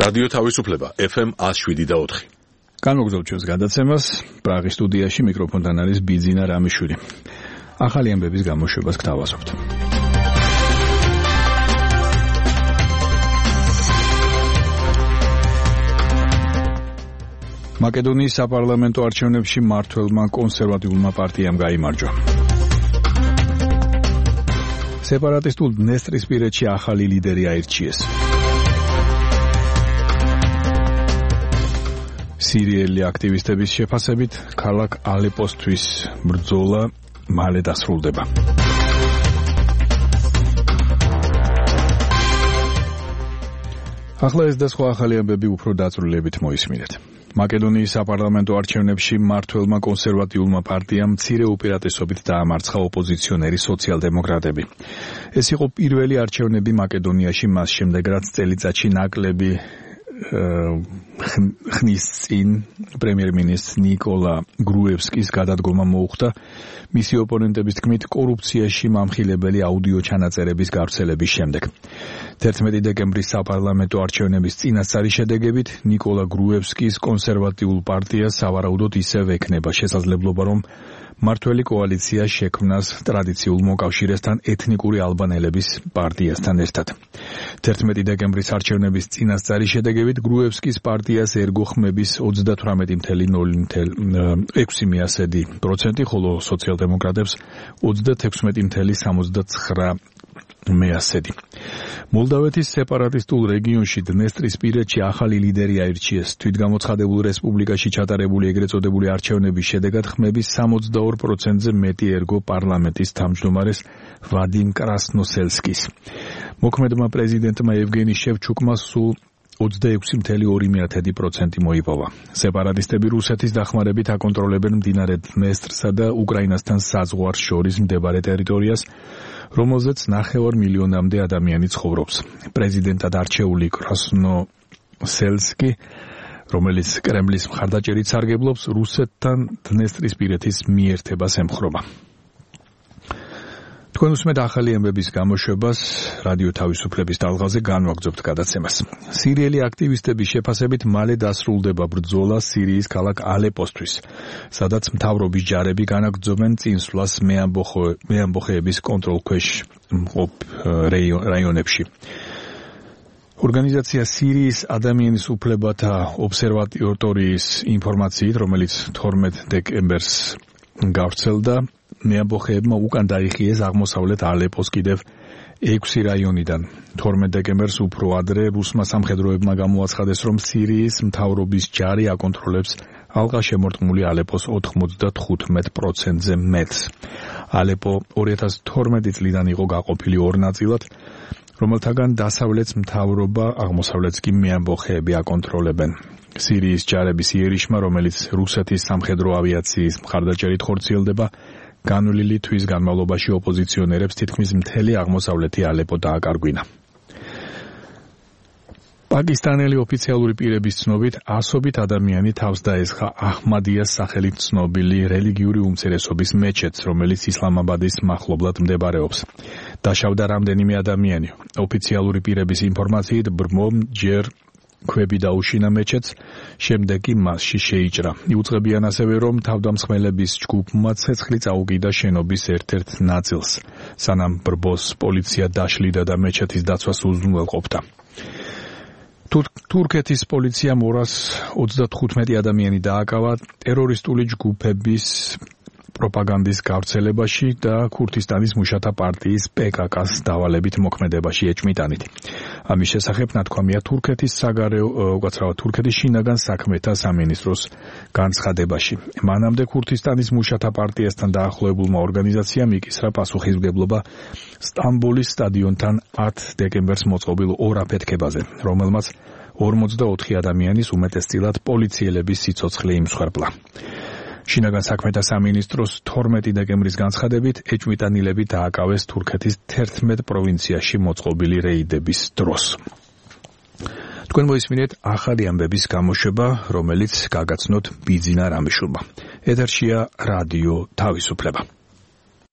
რადიო თავისუფლება FM 107.4. განმოგზავნოთ ჩვენს გადაცემას. პრაღის სტუდიაში მიკროფონთან არის ბიძინა რამიშვილი. ახალი ამბების გამოშვებას გთავაზობთ. მაკედონიის საპარლამენტო არჩევნებში მმართველმა კონსერვატიულმა პარტიამ გაიმარჯვა. სეპარატისტულ დნესტრისპირეთში ახალი ლიდერი აირჩიეს. სირიელი აქტივისტების შეფასებით ქალაქ ალეპოსთვის ბრძოლა მალე დასრულდება. ახლა ეს და სხვა ახალი ამბები უფრო დაწვრილებით მოისმინეთ. მაკედონიის საპარლამენტო არჩევნებში მმართველმა კონსერვატიულმა პარტიამ მცირე უპირატესობით დაამარცხა ოპოზიციონერი სოციალ-დემოკრატები. ეს იყო პირველი არჩევნები მაკედონიაში მას შემდეგ, რაც წელიწადში ნაკლები ხნის წინ პრემიერ-მინისტრ ნიკოლა გრუევსკის გადადგომა მოუხდა მისი ოპონენტების თქმით კორუფციაში მამხილებელი აუდიო ჩანაწერების გავრცელების შემდეგ. 11 დეკემბრის საპარლამენტო არჩევნების წინასწარი შედეგებით ნიკოლა გრუევსკის კონსერვატიულ პარტიას სავარაუდოდ ისევ ექნება შესაძლებლობა, რომ მმართველი კოალიცია შექმნას ტრადიციულ მოკავშირესთან ეთნიკური ალბანელების პარტიასთან ერთად. 11 დეკემბრის არჩევნების წინასწარი შედეგებით გრუევსკის პარტიას ერგო ხმების 38.06%, ხოლო სოციალ-დემოკრატებს 36.79%. მოლდავეთის სეპარატისტულ რეგიონში დნესტრისპირეთში ახალი ლიდერი აირჩიეს. თვითგამოცხადებულ რესპუბლიკაში ჩატარებული ეგრეთ წოდებული არჩევნების შედეგად ხმების 62%-ზე მეტი ერგო პარლამენტის თავმჯდომარეს ვადიმ კრასნოსელსკის. მოქმედმა პრეზიდენტმა ევგენი შევჩუკმა სულ 26.2% მოიპოვა. სეპარატისტები რუსეთის დახმარებით აკონტროლებენ მდინარე დნესტრსა და უკრაინასთან საზღვარს შორის მდებარე ტერიტორიას, რომელზეც 9 მილიონამდე ადამიანი ცხოვრობს. პრეზიდენტად არჩეული კრასნოსელსკი, რომელიც კრემლის მხარდაჭერით სარგებლობს, რუსეთთან დნესტრისპირეთის მიერთებას ემხრობა. თქვენ უსმენთ ახალი ამბების გამოშვებას რადიო თავისუფლების ტალღაზე განვაგრძობთ გადაცემას. სირიელი აქტივისტების შეფასებით მალე დასრულდება ბრძოლა სირიის ქალაქ ალეპოსთვის, სადაც მთავრობის ჯარები განაგრძობენ წინსვლას მეამბოხეების კონტროლქვეშ მყოფ რაიონებში. ორგანიზაცია სირიის ადამიანის უფლებათა ობსერვატორიის ინფორმაციით, რომელიც 12 დეკემბერს გავრცელდა, მეამბოხეებმა უკან დაიხიეს აღმოსავლეთ ალეპოს კიდევ 6 რაიონიდან. 12 დეკემბერს უფრო ადრე რუსმა სამხედროებმა გამოაცხადეს, რომ სირიის მთავრობის ჯარი აკონტროლებს ალყა შემორტყმული ალეპოს 95%-ზე მეტს. ალეპო 2012 წლიდან იყო გაყოფილი ორ ნაწილად, რომელთაგან დასავლეთს მთავრობა, აღმოსავლეთს კი მეამბოხეები აკონტროლებენ. სირიის ჯარების იერიშმა, რომელიც რუსეთის სამხედრო ავიაციის მხარდაჭერით ხორციელდება, განვლილი თვის განმავლობაში ოპოზიციონერებს თითქმის მთელი აღმოსავლეთი ალეპო დააკარგვინა. პაკისტანელი ოფიციალური პირების ცნობით, ასობით ადამიანი თავს დაესხა აჰმადიას სახელით ცნობილი რელიგიური უმცირესობის მეჩეთს, რომელიც ისლამაბადის მახლობლად მდებარეობს. დაშავდა რამდენიმე ადამიანი. ოფიციალური პირების ინფორმაციით, ბრმომ ჯერ ქვები დაუშინა მეჩეთს, შემდეგ კი მასში შეიჭრა. იუწყებიან ასევე, რომ თავდამსხმელების ჯგუფმა ცეცხლი წაუკიდა შენობის ერთ-ერთ ნაწილს, სანამ ბრბოს პოლიცია დაშლიდა და მეჩეთის დაცვას უზრუნველყოფდა. თურქეთის პოლიციამ 235 ადამიანი დააკავა ტერორისტული ჯგუფების პროპაგანდის გავრცელებაში და ქურთისტანის მუშათა პარტიის PKK-ს დავალებით მოქმედებაში ეჭმიტანით. ამის შესახებ ნათქვამია თურქეთის თურქეთის შინაგან საქმეთა სამინისტროს განცხადებაში. მანამდე ქურთისტანის მუშათა პარტიასთან დაახლოებულმა ორგანიზაციამ იკისრა პასუხისმგებლობა სტამბოლის სტადიონთან 10 დეკემბერს მოწყობილ ორ აფეთქებაზე, რომელმაც 44 ადამიანის უმეტესწილად პოლიციელების სიცოცხლე იმსხვერპლა. შინაგან საქმეთა სამინისტროს 12 დეკემბრის განცხადებით ეჭვმიტანილები დააკავეს თურქეთის 11 პროვინციაში მოწყობილი რეიდების დროს. თქვენ მოისმინეთ ახალი ამბების გამოშვება, რომელიც გაგაცნოთ ბიძინა რამიშვილმა. ეთერშია რადიო თავისუფლება.